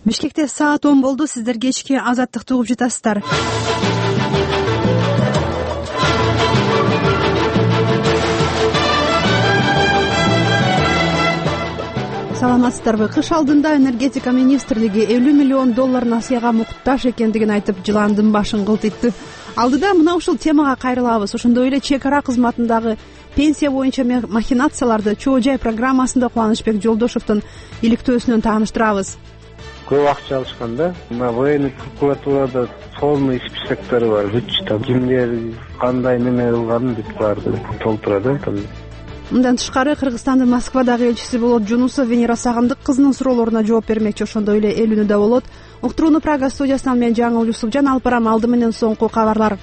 Бишкекте саат 10 болду. Сиздер кечки Азаттыкты угуп жатасыздар. Саламатсыздарбы? Кыш алдында энергетика министрлиги $50 миллион насыяга муктаж экендигин айтып, жыландын башын кылтыйтты. Алдыда мына ушул темага кайрылабыз. Ошондой эле чек ара кызматындагы пенсия боюнча махинацияларды чоо жай программасында Кубанычбек Жолдошовдун иликтөөсүнөн тааныштырабыз. Көп акча алышканда, мына военный прокуратурада полный списоктор бар. Кимдер кандай неме кылганын бүт баарды толтурат. Мындан тышкары Кыргызстандын Москвадагы элчиси Болот Жунусов Венера Сагындык кызынын суроолоруна жооп бермекчи. Ошондой эле эл үнү да болот. Уктурууну Прага студиясынан мен Жаңыл Юсупжан алып барам. Алды менен соңку кабарлар.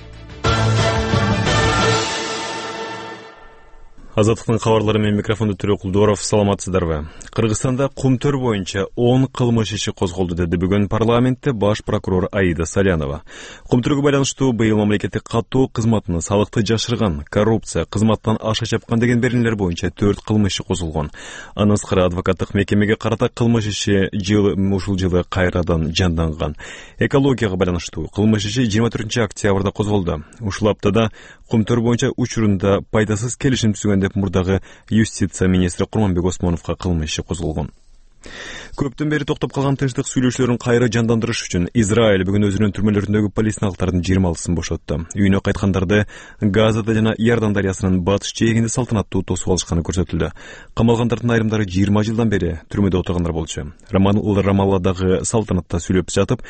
Азаттыктын кабарлары менен микрофонду Төрөкул Дооров. Саламатсыздарбы? Кыргызстанда кумтөр боюнча 10 кылмыш иши козголду, деди бүгүн парламентте баш прокурор Аида Салянова. Кумтөргө байланыштуу быйыл мамлекеттик каттоо кызматына салыкты жашырган, коррупция, кызматтан аша чапкан деген беренелер боюнча 4 кылмыш иши козулгон. Андан тышкары адвокаттык мекемеге карата кылмыш иши ушул жылы кайрадан жанданган. Экологияга байланыштуу кылмыш иши 24 октябрда козголду. Ушул аптада кумтөр боюнча учурунда пайдасыз келишим түзгөн деп мурдагы юстиция министри Курманбек Осмоновго кылмыш иши козголгон. Көптөн бери токтоп калган тынчтык сүйлөшүүлөрүн кайра жандандырыш үчүн Израиль бүгүн өзүнүн түрмөлөрүндөгү палестиналыктардын 26-сын бошотту. Үйүнө кайткандарды Газада жана Иордан дарыясынын батыш жээгинде салтанаттуу тосуп алышканы көрсөтүлдү. Камалгандардын айрымдары 20 жылдан бери түрмөдө отургандар болчу. Рамалладагы салтанатта сүйлөп жатып,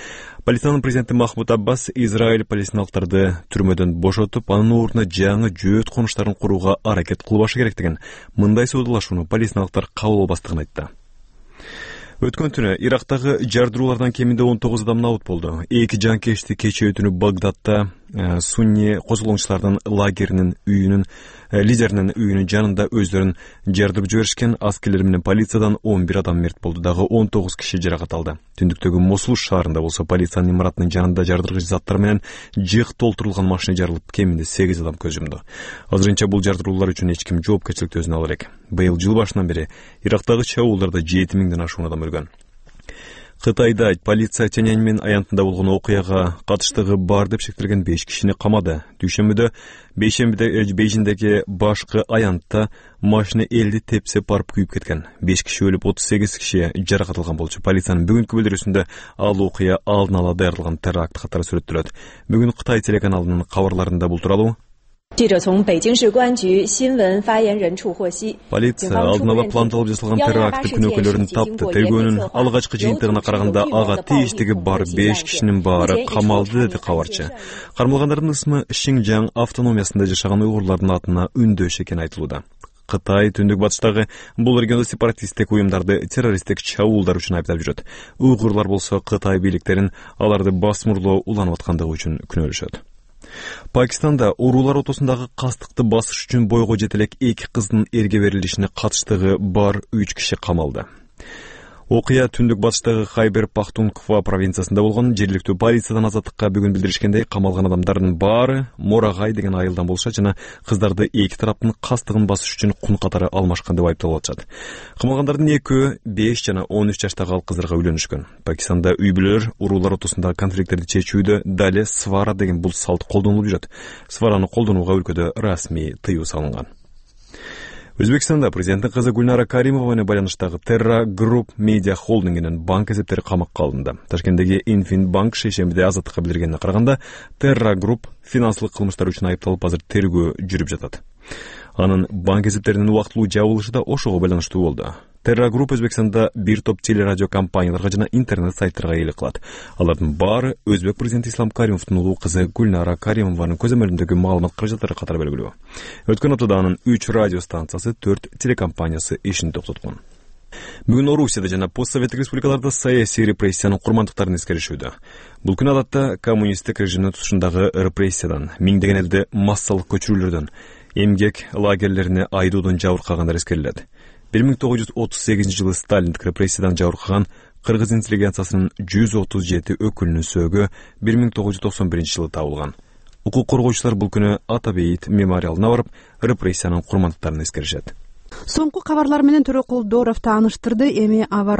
Палестинанын президенти Махмуд Аббас Израиль палестиналыктарды түрмөдөн бошотуп, анын ордуна жаңы жөөт конуштарын курууга аракет кылбашы керектигин, мындай соодалашууну палестиналыктар кабыл албастыгын айтты. Өткөн түнү Ирактагы жардыруулардан кеминде 19 адам набыт болду. Эки жанкечти кечээ түнү Багдадда сунни козголоңчулардын лагеринин үйүнүн лидеринин үйүнүн жанында өздөрүн жардырып жиберишкен. Аскерлер менен полициядан 11 адам мерт болду, дагы 19 киши жаракат алды. Түндүктөгү Мосул шаарында болсо полициянын имаратынын жанында жардыргыч заттар менен жык толтурулган машина жарылып, кеминде 8 адам көз жумду. Азырынча бул жардыруулар үчүн эч ким жоопкерчиликти өзүнө ала элек. Быйыл жыл башынан бери Ирактагы чабуулдарда 7000ден ашуун адам өлгөн. Кытайда полиция Тяньаньмэн аянтында болгон окуяга катыштыгы бар деп шектелген 5 кишини камады. Дүйшөмбүдө Бейжиңдеги башкы аянтта машина 50 тепсе барып күйүп кеткен. 5 киши өлүп, 38 киши жаракат алган болчу. Полициянын бүгүнкү билдирүүсүндө ал окуя алдын ала даярдалган теракт катары сүрөттөлөт. Бүгүн Кытай телеканалынын кабарларында бул тууралуу Полиция алдын ала пландалып жасалган теракттын күнөөкөрлөрүн тапты. Тергөөнүн алгачкы жыйынтыгына караганда ага тийиштиги бар 5 кишинин баары камалды, деди кабарчы. Кармалгандардын ысмы Шинжаң автономиясында жашаган уйгурлардын атына үндөш экени айтылууда. Кытай түндүк батыштагы бул региондо сепаратисттик уюмдарды террористтик чабуулдар үчүн айыптап жүрөт. Уйгурлар болсо Кытай бийликтерин аларды басмырлоо уланып аткандыгы үчүн күнөөлөшөт. Пакистанда уруулар отосундагы кастыкты басыш үчүн бойго жетелек 2 кыздын эрге берилишине катыштыгы бар 3 киши камалды. Окуя түндүк батыштагы Хайбер Пахтунква провинциясында болгон. Жергиликтүү полициядан Азаттыкка бүгүн билдиришкендей, камалган адамдардын баары Морагай деген айылдан болушат жана кыздарды эки тараптын кастыгын басыш үчүн кун катары алмашкан деп айыпталып атышат. Камалгандардын экөө 5 жана 13 жаштагы ал кыздарга үйлөнүшкөн. Пакистанда үй бүлөлөр уруулар ортосундагы конфликттерди чечүүдө дале свара деген бул салт колдонулуп жүрөт. Свараны колдонууга өлкөдө расмий тыюу салынган. Өзбекстанда президенттин кызы Гульнара Каримова менен байланыштагы Terra Group Media холдингинин банк эсептери камакка алынды. Ташкенттеги Инфинбанк шейшембиде Азаттыкка билдиргенине караганда, Terra Group финансылык кылмыштар үчүн айыпталып, азыр тергөө жүрүп жатат. Анын банк эсептеринин убактылуу жабылышы да ошого байланыштуу болду. Terra Group Өзбекстанда бир топ телерадио компанияларга жана интернет сайттарга ээлик кылат. Алардын баары өзбек президенти Ислам Каримовдун улуу кызы Гульнара Каримованын көзөмөлүндөгү маалымат каражаттары катары белгилүү. Өткөн аптада анын 3 радио станциясы, 4 телекомпаниясы ишин токтоткон. Бүгүн Орусияда жана постсоветтик республикаларда саясий репрессиянын курмандыктарын эскеришүүдө. Бул күн адатта коммунисттик режимдин тутушундагы репрессиядан, миңдеген элди массалык көчүрүүлөрдөн, эмгек лагерлерине айдоодон жабыркагандар эскерилет. 1938 жылы Сталиндик репрессиядан жабыркаган кыргыз интеллигенциясынын 137 өкүлүнүн сөөгү 1991 жылы табылган. Укук коргоочулар бул күнү Атабейит мемориалына барып, репрессиянын курмандыктарын эскеришет. Соңку кабарлар менен Төрөкул Дооров тааныштырды. Эми аба